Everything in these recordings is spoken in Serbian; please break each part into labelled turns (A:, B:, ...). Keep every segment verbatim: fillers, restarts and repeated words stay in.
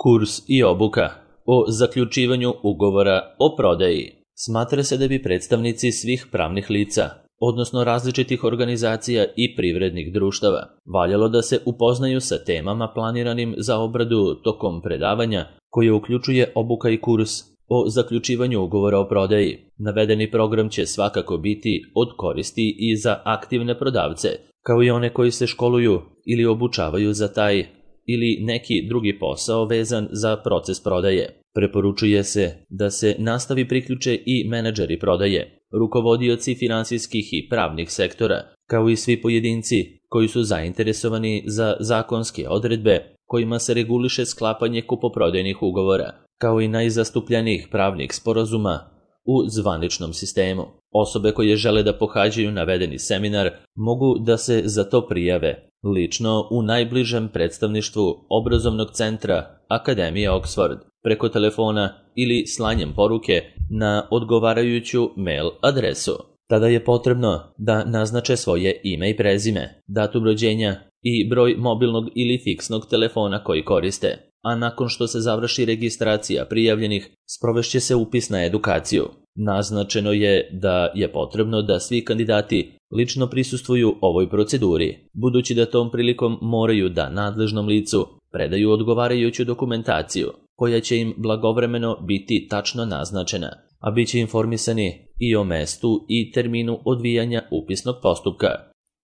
A: Kurs i obuka o zaključivanju ugovora o prodaji. Smatra se da bi predstavnici svih pravnih lica, odnosno različitih organizacija i privrednih društava, valjalo da se upoznaju sa temama planiranim za obradu tokom predavanja, koje uključuje obuka i kurs o zaključivanju ugovora o prodaji. Navedeni program će svakako biti od koristi i za aktivne prodavce, kao i one koji se školuju ili obučavaju za taj ili neki drugi posao vezan za proces prodaje. Preporučuje se da se nastavi priključe i menadžeri prodaje, rukovodioci finansijskih i pravnih sektora, kao i svi pojedinci koji su zainteresovani za zakonske odredbe kojima se reguliše sklapanje kupoprodajnih ugovora, kao i najzastupljenijih pravnih sporazuma u zvaničnom sistemu. Osobe koje žele da pohađaju navedeni seminar mogu da se za to prijave lično u najbližem predstavništvu obrazovnog centra Akademije Oxford, preko telefona ili slanjem poruke na odgovarajuću mail adresu. Tada je potrebno da naznače svoje ime i prezime, datum rođenja i broj mobilnog ili fiksnog telefona koji koriste, a nakon što se završi registracija prijavljenih, sprovešće se upis na edukaciju. Naznačeno je da je potrebno da svi kandidati lično prisustvuju ovoj proceduri, budući da tom prilikom moraju da nadležnom licu predaju odgovarajuću dokumentaciju, koja će im blagovremeno biti tačno naznačena, a bit će informisani i o mestu i terminu odvijanja upisnog postupka.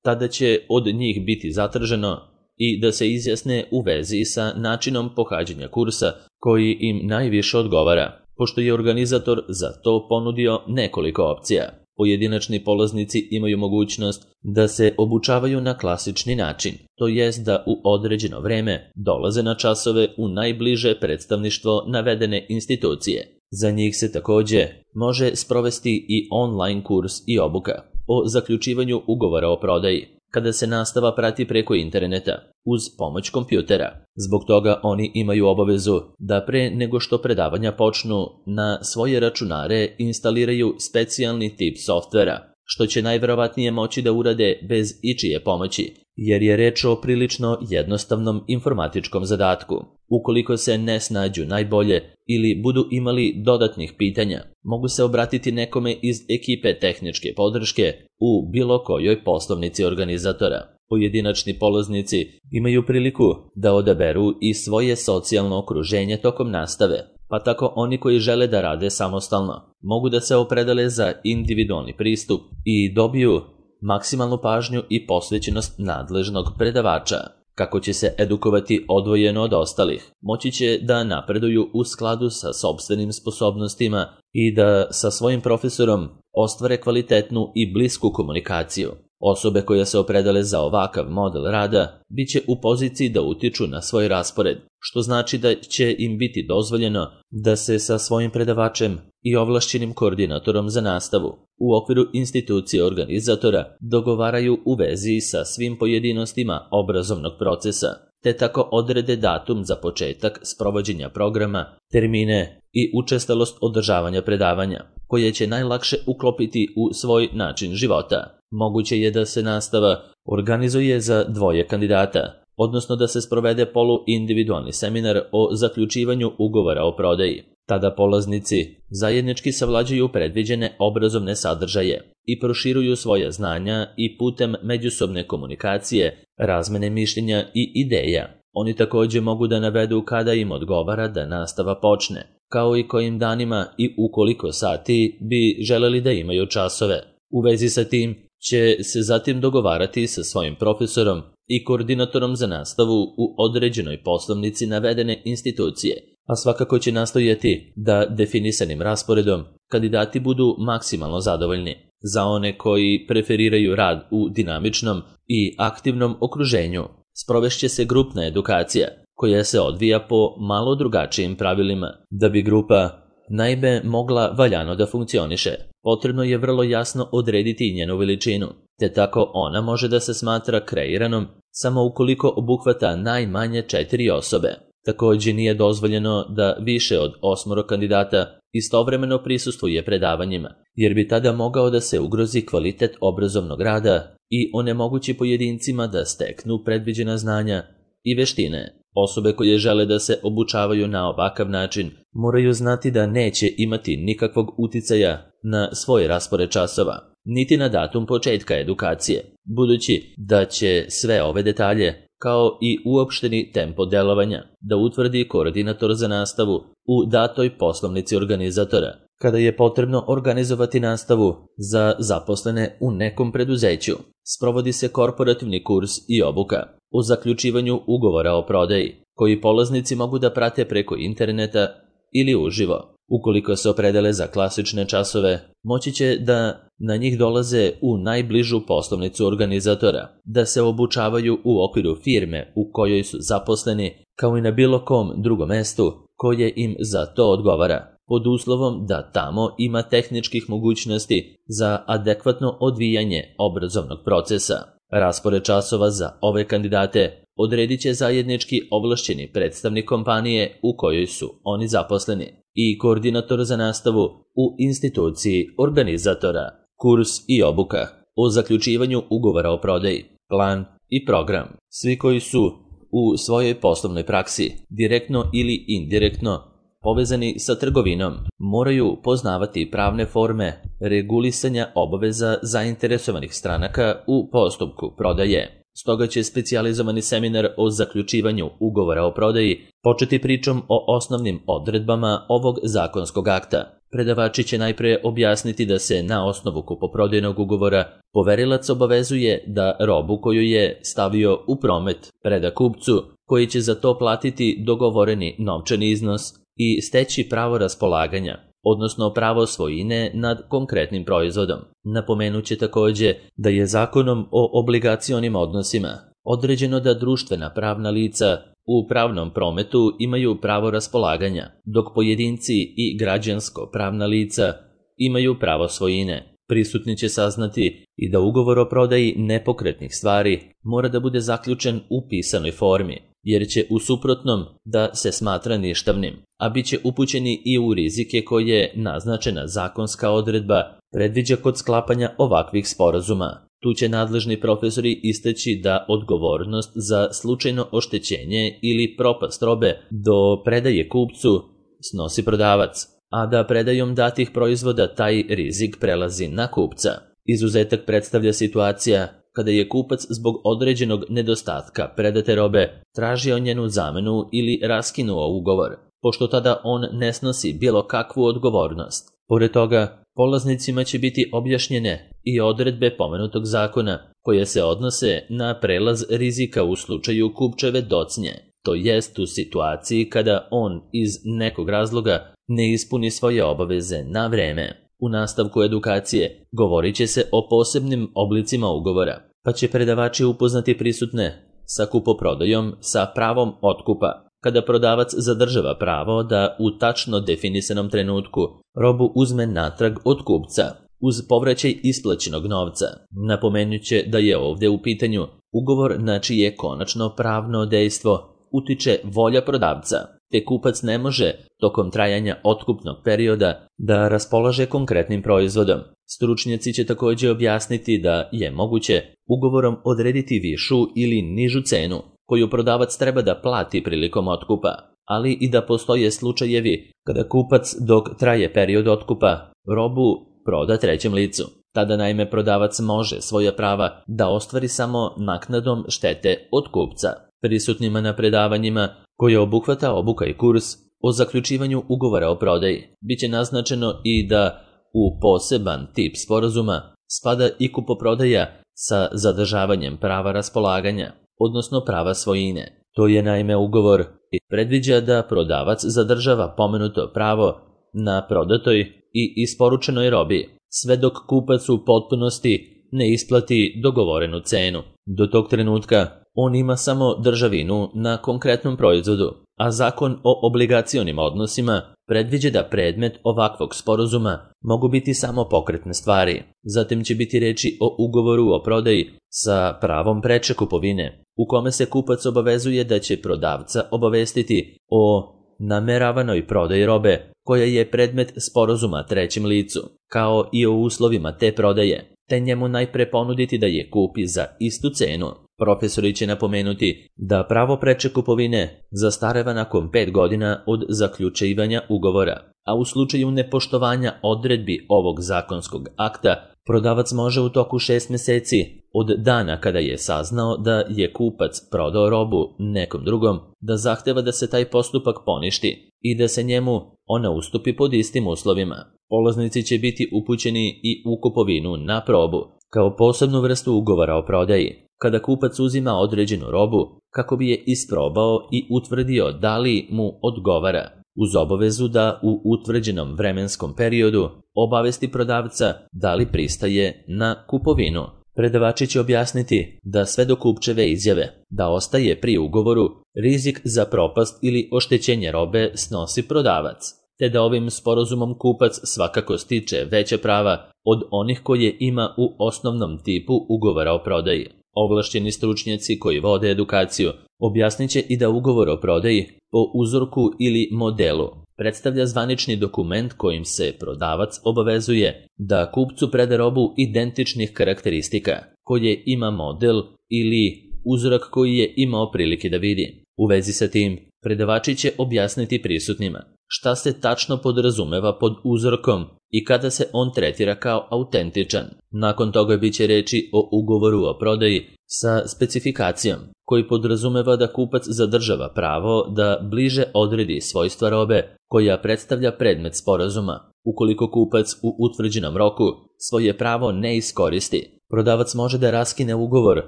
A: Tada će od njih biti zatraženo i da se izjasne u vezi sa načinom pohađanja kursa koji im najviše odgovara, pošto je organizator za to ponudio nekoliko opcija. Pojedinačni polaznici imaju mogućnost da se obučavaju na klasični način, to jest da u određeno vreme dolaze na časove u najbliže predstavništvo navedene institucije. Za njih se takođe može sprovesti i online kurs i obuka o zaključivanju ugovora o prodaji, kada se nastava prati preko interneta uz pomoć kompjutera. Zbog toga oni imaju obavezu da pre nego što predavanja počnu na svoje računare instaliraju specijalni tip softvera, što će najverovatnije moći da urade bez ičije pomoći, jer je reč o prilično jednostavnom informatičkom zadatku. Ukoliko se ne snađu najbolje ili budu imali dodatnih pitanja, mogu se obratiti nekome iz ekipe tehničke podrške u bilo kojoj poslovnici organizatora. Pojedinačni polaznici imaju priliku da odaberu i svoje socijalno okruženje tokom nastave, pa tako oni koji žele da rade samostalno mogu da se opredele za individualni pristup i dobiju maksimalnu pažnju i posvećenost nadležnog predavača. Kako će se edukovati odvojeno od ostalih, moći će da napreduju u skladu sa sopstvenim sposobnostima i da sa svojim profesorom ostvare kvalitetnu i blisku komunikaciju. Osobe koje se opredele za ovakav model rada bit će u poziciji da utiču na svoj raspored, što znači da će im biti dozvoljeno da se sa svojim predavačem i ovlašćenim koordinatorom za nastavu u okviru institucije organizatora dogovaraju u vezi sa svim pojedinostima obrazovnog procesa, te tako odrede datum za početak sprovođenja programa, termine i učestalost održavanja predavanja, koje će najlakše uklopiti u svoj način života. Moguće je da se nastava organizuje za dvoje kandidata, odnosno da se sprovede polu-individualni seminar o zaključivanju ugovora o prodaji. Tada polaznici zajednički savlađuju predviđene obrazovne sadržaje i proširuju svoja znanja i putem međusobne komunikacije, razmene mišljenja i ideja. Oni takođe mogu da navedu kada im odgovara da nastava počne, kao i kojim danima i u koliko sati bi želeli da imaju časove. U vezi sa tim će se zatim dogovarati sa svojim profesorom i koordinatorom za nastavu u određenoj poslovnici navedene institucije, a svakako će nastojati da definisanim rasporedom kandidati budu maksimalno zadovoljni. Za one koji preferiraju rad u dinamičnom i aktivnom okruženju, sprovešće se grupna edukacija koja se odvija po malo drugačijim pravilima. Da bi grupa naime mogla valjano da funkcioniše, potrebno je vrlo jasno odrediti njenu veličinu, te tako ona može da se smatra kreiranom samo ukoliko obuhvata najmanje četiri osobe. Takođe nije dozvoljeno da više od osmoro kandidata istovremeno prisustvuje predavanjima, jer bi tada mogao da se ugrozi kvalitet obrazovnog rada i onemogući pojedincima da steknu predviđena znanja i veštine. Osobe koje žele da se obučavaju na ovakav način moraju znati da neće imati nikakvog uticaja na svoj raspored časova, niti na datum početka edukacije, budući da će sve ove detalje, kao i uopšteni tempo delovanja, da utvrdi koordinator za nastavu u datoj poslovnici organizatora, kada je potrebno organizovati nastavu za zaposlene u nekom preduzeću. Sprovodi se korporativni kurs i obuka o zaključivanju ugovora o prodaji, koji polaznici mogu da prate preko interneta ili uživo. Ukoliko se opredele za klasične časove, moći će da na njih dolaze u najbližu poslovnicu organizatora, da se obučavaju u okviru firme u kojoj su zaposleni, kao i na bilo kom drugom mestu koje im za to odgovara, pod uslovom da tamo ima tehničkih mogućnosti za adekvatno odvijanje obrazovnog procesa. Raspored časova za ove kandidate odredit će zajednički ovlašćeni predstavnik kompanije u kojoj su oni zaposleni i koordinator za nastavu u instituciji organizatora. Kurs i obuka o zaključivanju ugovora o prodaji, plan i program. Svi koji su u svojoj poslovnoj praksi, direktno ili indirektno povezani sa trgovinom, moraju poznavati pravne forme regulisanja obaveza zainteresovanih stranaka u postupku prodaje. Stoga će specijalizovani seminar o zaključivanju ugovora o prodaji početi pričom o osnovnim odredbama ovog zakonskog akta. Predavači će najpre objasniti da se na osnovu kupoprodajnog ugovora poverilac obavezuje da robu koju je stavio u promet preda kupcu, koji će za to platiti dogovoreni novčani iznos i steći pravo raspolaganja, odnosno pravo svojine nad konkretnim proizvodom. Napomenut će takođe da je Zakonom o obligacionim odnosima određeno da društvena pravna lica u pravnom prometu imaju pravo raspolaganja, dok pojedinci i građansko pravna lica imaju pravo svojine. Prisutni će saznati i da ugovor o prodaji nepokretnih stvari mora da bude zaključen u pisanoj formi, jer će u suprotnom da se smatra ništavnim, a bit će upućeni i u rizike koje naznačena zakonska odredba predviđa kod sklapanja ovakvih sporazuma. Tu će nadležni profesori istaći da odgovornost za slučajno oštećenje ili propast robe do predaje kupcu snosi prodavac, a da predajom datih proizvoda taj rizik prelazi na kupca. Izuzetak predstavlja situacija kada je kupac zbog određenog nedostatka predate robe tražio njenu zamenu ili raskinuo ugovor, pošto tada on ne snosi bilo kakvu odgovornost. Pored toga, polaznicima će biti objašnjene i odredbe pomenutog zakona koje se odnose na prelaz rizika u slučaju kupčeve docnje, to jest u situaciji kada on iz nekog razloga ne ispuni svoje obaveze na vreme. U nastavku edukacije govorit će se o posebnim oblicima ugovora, pa će predavači upoznati prisutne sa kupoprodajom sa pravom otkupa, kada prodavac zadržava pravo da u tačno definisanom trenutku robu uzme natrag od kupca uz povraćaj isplaćenog novca. Napomenut će da je ovdje u pitanju ugovor na čije konačno pravno dejstvo utiče volja prodavca, te kupac ne može tokom trajanja otkupnog perioda da raspolaže konkretnim proizvodom. Stručnjaci će također objasniti da je moguće ugovorom odrediti višu ili nižu cenu koju prodavac treba da plati prilikom otkupa, ali i da postoje slučajevi kada kupac dok traje period otkupa robu proda trećem licu. Tada naime prodavac može svoja prava da ostvari samo naknadom štete od kupca. Prisutnima na predavanjima koje obuhvata obuka i kurs o zaključivanju ugovora o prodaji biće naznačeno i da u poseban tip sporazuma spada i kupoprodaja sa zadržavanjem prava raspolaganja, odnosno prava svojine. To je naime ugovor i predviđa da prodavac zadržava pomenuto pravo na prodatoj i isporučenoj robi, sve dok kupac u potpunosti ne isplati dogovorenu cenu. Do tog trenutka on ima samo državinu na konkretnom proizvodu, a Zakon o obligacionim odnosima predviđa da predmet ovakvog sporazuma mogu biti samo pokretne stvari. Zatim će biti reči o ugovoru o prodaji sa pravom preče kupovine, u kome se kupac obavezuje da će prodavca obavestiti o nameravanoj prodaji robe koja je predmet sporazuma trećem licu, kao i o uslovima te prodaje, te njemu najpre ponuditi da je kupi za istu cenu. Profesori će napomenuti da pravo preče kupovine zastareva nakon pet godina od zaključivanja ugovora, a u slučaju nepoštovanja odredbi ovog zakonskog akta, prodavac može u toku šest meseci od dana kada je saznao da je kupac prodao robu nekom drugom, da zahteva da se taj postupak poništi i da se njemu ona ustupi pod istim uslovima. Polaznici će biti upućeni i u kupovinu na probu, kao posebnu vrstu ugovora o prodaji, kada kupac uzima određenu robu kako bi je isprobao i utvrdio da li mu odgovara, uz obavezu da u utvrđenom vremenskom periodu obavesti prodavca da li pristaje na kupovinu. Predavači će objasniti da sve do kupčeve izjave da ostaje pri ugovoru, rizik za propast ili oštećenje robe snosi prodavac, te da ovim sporazumom kupac svakako stiče veće prava od onih koje ima u osnovnom tipu ugovora o prodaji. Ovlašćeni stručnjaci koji vode edukaciju objasnit će i da ugovor o prodaji po uzorku ili modelu predstavlja zvanični dokument kojim se prodavac obavezuje da kupcu preda robu identičnih karakteristika koje ima model ili uzorak koji je imao prilike da vidi. U vezi sa tim, predavači će objasniti prisutnima šta se tačno podrazumeva pod uzorkom i kada se on tretira kao autentičan. Nakon toga biće reči o ugovoru o prodaji sa specifikacijom, koji podrazumeva da kupac zadržava pravo da bliže odredi svojstva robe koja predstavlja predmet sporazuma. Ukoliko kupac u utvrđenom roku svoje pravo ne iskoristi, prodavac može da raskine ugovor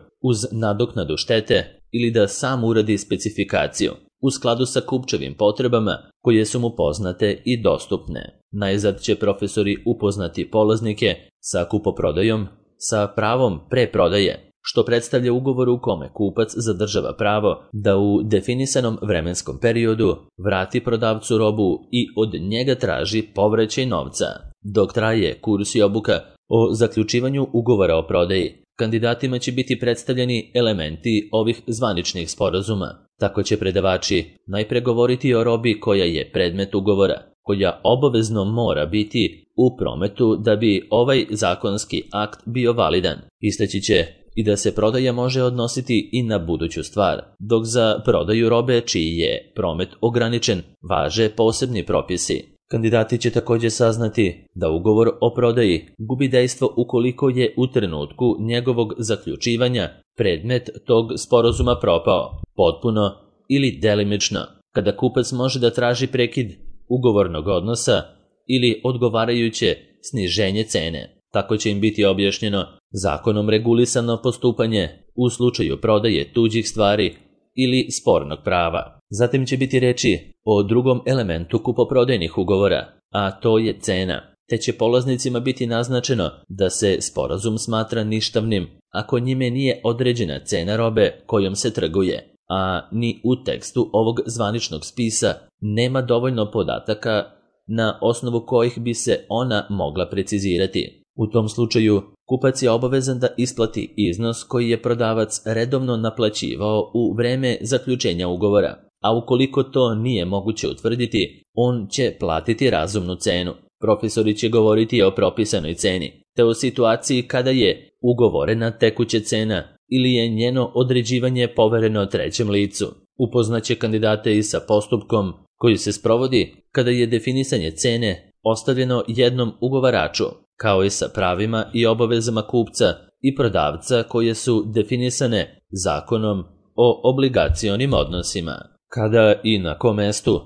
A: uz nadoknadu štete ili da sam uradi specifikaciju u skladu sa kupčevim potrebama koje su mu poznate i dostupne. Najzad će profesori upoznati polaznike sa kupoprodajom, sa pravom preprodaje, što predstavlja ugovor u kome kupac zadržava pravo da u definisanom vremenskom periodu vrati prodavcu robu i od njega traži povraćaj novca. Dok traje kurs i obuka o zaključivanju ugovora o prodaji, kandidatima će biti predstavljeni elementi ovih zvaničnih sporazuma. Tako će predavači najpre govoriti o robi koja je predmet ugovora, koja obavezno mora biti u prometu da bi ovaj zakonski akt bio validan. Istaći će i da se prodaja može odnositi i na buduću stvar, dok za prodaju robe čiji je promet ograničen važe posebni propisi. Kandidati će također saznati da ugovor o prodaji gubi dejstvo ukoliko je u trenutku njegovog zaključivanja predmet tog sporazuma propao, potpuno ili delimično, kada kupac može da traži prekid ugovornog odnosa ili odgovarajuće sniženje cene. Tako će im biti objašnjeno zakonom regulisano postupanje u slučaju prodaje tuđih stvari ili spornog prava. Zatim će biti reči o drugom elementu kupoprodajnih ugovora, a to je cena, te će polaznicima biti naznačeno da se sporazum smatra ništavnim ako njime nije određena cena robe kojom se trguje, a ni u tekstu ovog zvaničnog spisa nema dovoljno podataka na osnovu kojih bi se ona mogla precizirati. U tom slučaju, kupac je obavezan da isplati iznos koji je prodavac redovno naplaćivao u vreme zaključenja ugovora, a ukoliko to nije moguće utvrditi, on će platiti razumnu cenu. Profesori će govoriti o propisanoj ceni, te o situaciji kada je ugovorena tekuća cena ili je njeno određivanje povereno trećem licu. Upoznaće kandidate i sa postupkom koji se sprovodi kada je definisanje cene ostavljeno jednom ugovaraču, kao i sa pravima i obavezama kupca i prodavca koje su definisane zakonom o obligacionim odnosima. Kada i na kom mestu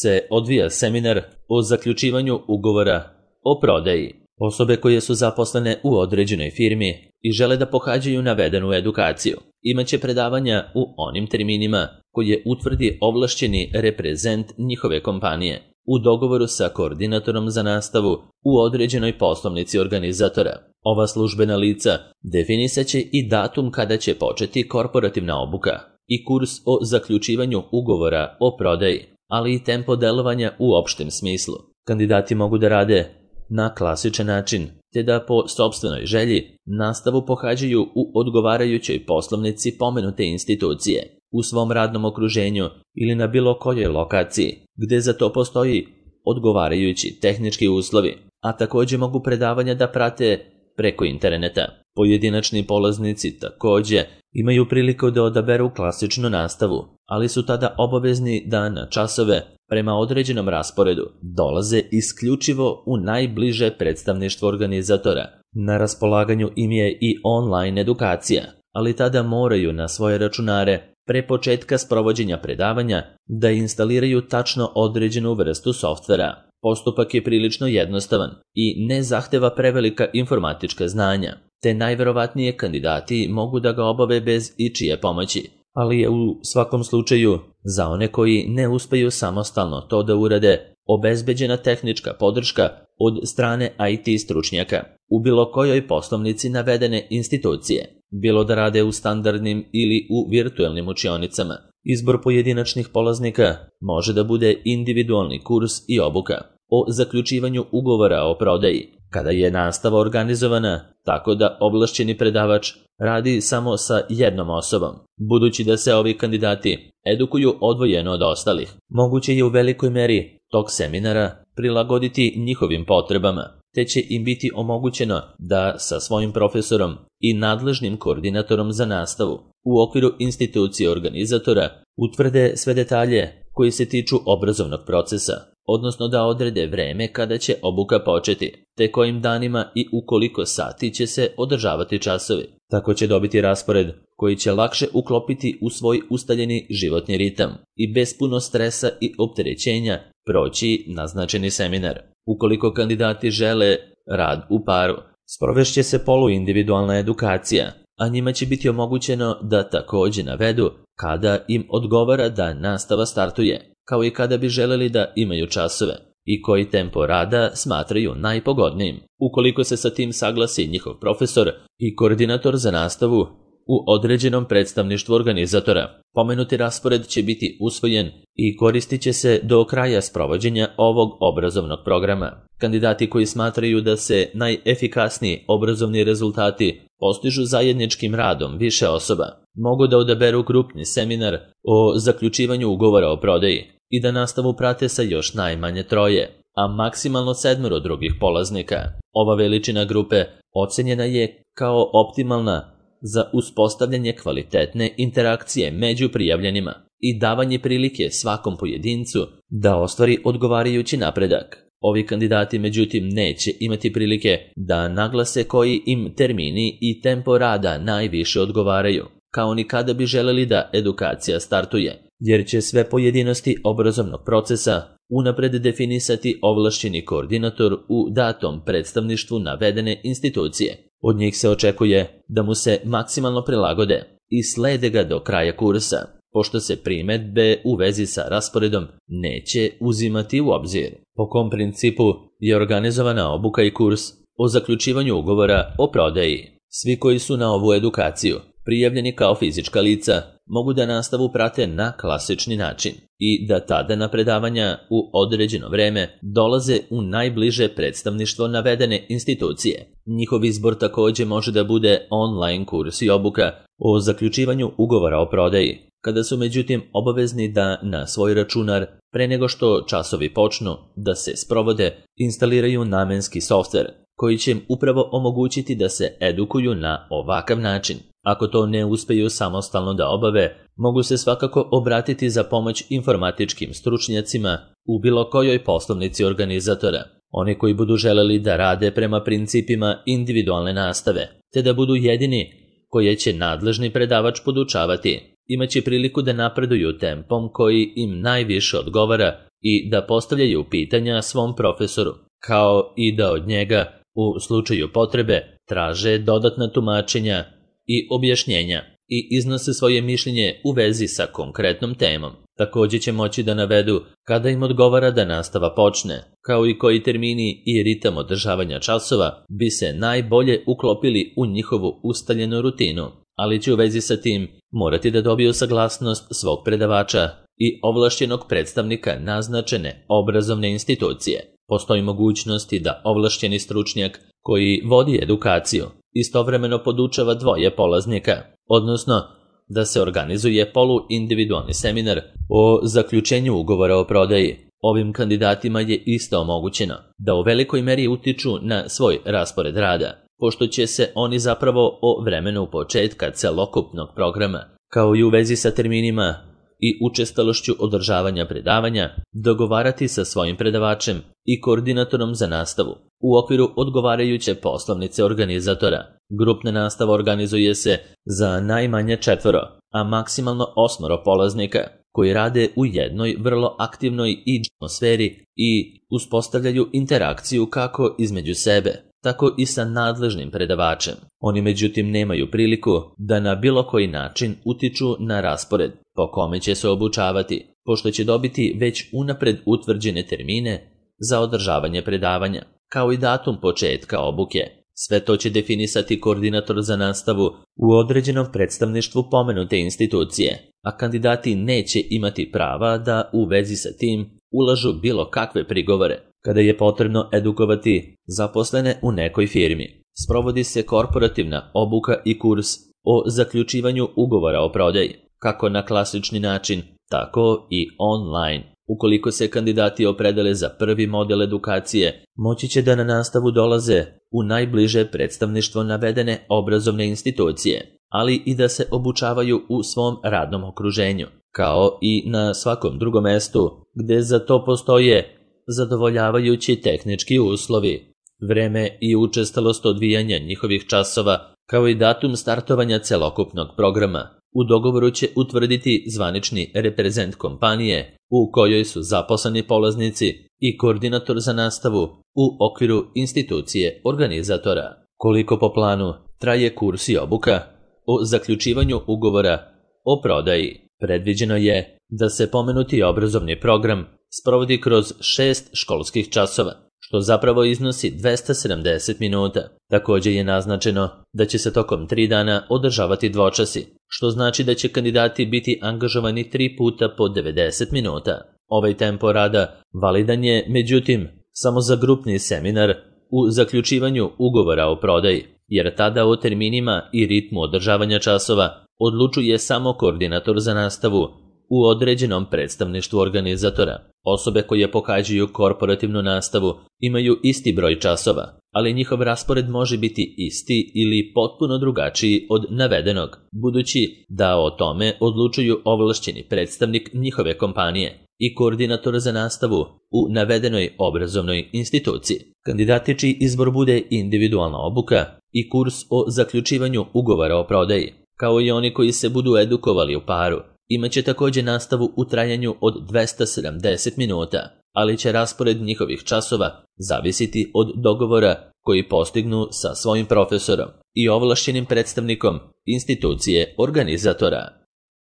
A: se odvija seminar o zaključivanju ugovora o prodaji. Osobe koje su zaposlene u određenoj firmi i žele da pohađaju navedenu edukaciju imaće predavanja u onim terminima koje utvrdi ovlašćeni reprezent njihove kompanije u dogovoru sa koordinatorom za nastavu u određenoj poslovnici organizatora. Ova službena lica definisaće i datum kada će početi korporativna obuka i kurs o zaključivanju ugovora o prodaji, ali i tempo delovanja u opštem smislu. Kandidati mogu da rade na klasičan način, te da po sopstvenoj želji nastavu pohađaju u odgovarajućoj poslovnici pomenute institucije, u svom radnom okruženju ili na bilo kojoj lokaciji, gde za to postoji odgovarajući tehnički uslovi, a također mogu predavanja da prate preko interneta. Pojedinačni polaznici također Imaju priliku da odaberu klasičnu nastavu, ali su tada obavezni da na časove prema određenom rasporedu dolaze isključivo u najbliže predstavništvo organizatora. Na raspolaganju im je i online edukacija, ali tada moraju na svoje računare pre početka sprovođenja predavanja da instaliraju tačno određenu vrstu softvera. Postupak je prilično jednostavan i ne zahteva prevelika informatička znanja, te najverovatnije kandidati mogu da ga obave bez ičije pomoći, ali je u svakom slučaju za one koji ne uspeju samostalno to da urade obezbeđena tehnička podrška od strane I T stručnjaka u bilo kojoj poslovnici navedene institucije, bilo da rade u standardnim ili u virtuelnim učionicama. Izbor pojedinačnih polaznika može da bude individualni kurs i obuka o zaključivanju ugovora o prodaji, kada je nastava organizovana tako da ovlašćeni predavač radi samo sa jednom osobom. Budući da se ovi kandidati edukuju odvojeno od ostalih, moguće je u velikoj meri tok seminara prilagoditi njihovim potrebama, te će im biti omogućeno da sa svojim profesorom i nadležnim koordinatorom za nastavu u okviru institucije organizatora utvrde sve detalje koji se tiču obrazovnog procesa, odnosno da odrede vreme kada će obuka početi, te kojim danima i u koliko sati će se održavati časovi. Tako će dobiti raspored koji će lakše uklopiti u svoj ustaljeni životni ritam i bez puno stresa i opterećenja proći naznačeni seminar. Ukoliko kandidati žele rad u paru, sprovešće se poluindividualna edukacija, a njima će biti omogućeno da takođe navedu kada im odgovara da nastava startuje, kao i kada bi želeli da imaju časove i koji tempo rada smatraju najpogodnijim. Ukoliko se sa tim saglasi njihov profesor i koordinator za nastavu u određenom predstavništvu organizatora, pomenuti raspored će biti usvojen i koristit će se do kraja sprovođenja ovog obrazovnog programa. Kandidati koji smatraju da se najefikasniji obrazovni rezultati postižu zajedničkim radom više osoba, mogu da odaberu grupni seminar o zaključivanju ugovora o prodaji i da nastavu prate sa još najmanje troje, a maksimalno sedmero drugih polaznika. Ova veličina grupe ocenjena je kao optimalna za uspostavljanje kvalitetne interakcije među prijavljenima i davanje prilike svakom pojedincu da ostvari odgovarajući napredak. Ovi kandidati međutim neće imati prilike da naglase koji im termini i tempo rada najviše odgovaraju, kao ni kada bi želeli da edukacija startuje, jer će sve pojedinosti obrazovnog procesa unapred definisati ovlašćeni koordinator u datom predstavništvu navedene institucije. Od njih se očekuje da mu se maksimalno prilagode i slede ga do kraja kursa, pošto se primedbe u vezi sa rasporedom neće uzimati u obzir. Po kom principu je organizovana obuka i kurs o zaključivanju ugovora o prodaji? Svi koji su na ovu edukaciju prijavljeni kao fizička lica mogu da nastavu prate na klasični način i da tada na predavanja u određeno vreme dolaze u najbliže predstavništvo navedene institucije. Njihov izbor takođe može da bude online kurs i obuka o zaključivanju ugovora o prodaji, kada su međutim obavezni da na svoj računar, pre nego što časovi počnu da se sprovode, instaliraju namenski softver koji će im upravo omogućiti da se edukuju na ovakav način. Ako to ne uspeju samostalno da obave, mogu se svakako obratiti za pomoć informatičkim stručnjacima u bilo kojoj poslovnici organizatora. Oni koji budu želeli da rade prema principima individualne nastave, te da budu jedini koje će nadležni predavač podučavati, imaće priliku da napreduju tempom koji im najviše odgovara i da postavljaju pitanja svom profesoru, kao i da od njega, u slučaju potrebe, traže dodatna tumačenja i objašnjenja i iznose svoje mišljenje u vezi sa konkretnom temom. Takođe će moći da navedu kada im odgovara da nastava počne, kao i koji termini i ritam održavanja časova bi se najbolje uklopili u njihovu ustaljenu rutinu, ali će u vezi sa tim morati da dobiju saglasnost svog predavača i ovlašćenog predstavnika naznačene obrazovne institucije. Postoji mogućnosti da ovlašćeni stručnjak koji vodi edukaciju istovremeno podučava dvoje polaznika, odnosno da se organizuje poluindividualni seminar o zaključenju ugovora o prodaji. Ovim kandidatima je isto omogućeno da u velikoj meri utiču na svoj raspored rada pošto će se oni zapravo o vremenu početka celokupnog programa, kao i u vezi sa terminima i učestalošću održavanja predavanja, dogovarati sa svojim predavačem i koordinatorom za nastavu u okviru odgovarajuće poslovnice organizatora. Grupna nastava organizuje se za najmanje četvoro, a maksimalno osmoro polaznika, koji rade u jednoj vrlo aktivnoj i atmosferi i uspostavljaju interakciju kako između sebe, tako i sa nadležnim predavačem. Oni međutim nemaju priliku da na bilo koji način utiču na raspored po kome će se obučavati, pošto će dobiti već unapred utvrđene termine za održavanje predavanja, kao i datum početka obuke. Sve to će definisati koordinator za nastavu u određenom predstavništvu pomenute institucije, a kandidati neće imati prava da u vezi sa tim ulažu bilo kakve prigovore. Kada je potrebno edukovati zaposlene u nekoj firmi, sprovodi se korporativna obuka i kurs o zaključivanju ugovora o prodaji, kako na klasični način, tako i online. Ukoliko se kandidati opredele za prvi model edukacije, moći će da na nastavu dolaze u najbliže predstavništvo navedene obrazovne institucije, ali i da se obučavaju u svom radnom okruženju, kao i na svakom drugom mestu gde za to postoje zadovoljavajući tehnički uslovi. Vreme i učestalost odvijanja njihovih časova, kao i datum startovanja celokupnog programa, u dogovoru će utvrditi zvanični reprezent kompanije u kojoj su zaposleni polaznici i koordinator za nastavu u okviru institucije organizatora. Koliko po planu traje kurs i obuka o zaključivanju ugovora o prodaji? Predviđeno je da se pomenuti obrazovni program sprovodi kroz šest školskih časova, što zapravo iznosi dvesta sedamdeset minuta. Također je naznačeno da će se tokom tri dana održavati dvočasi, što znači da će kandidati biti angažovani tri puta po devedeset minuta. Ovaj tempo rada validan je, međutim, samo za grupni seminar u zaključivanju ugovora o prodaji, jer tada o terminima i ritmu održavanja časova odlučuje samo koordinator za nastavu u određenom predstavništvu organizatora. Osobe koje pohađaju korporativnu nastavu imaju isti broj časova, ali njihov raspored može biti isti ili potpuno drugačiji od navedenog, budući da o tome odlučuju ovlašćeni predstavnik njihove kompanije i koordinator za nastavu u navedenoj obrazovnoj instituciji. Kandidati čiji izbor bude individualna obuka i kurs o zaključivanju ugovora o prodaji, kao i oni koji se budu edukovali u paru, imaće također nastavu u trajanju od dvesta sedamdeset minuta, ali će raspored njihovih časova zavisiti od dogovora koji postignu sa svojim profesorom i ovlašćenim predstavnikom institucije organizatora.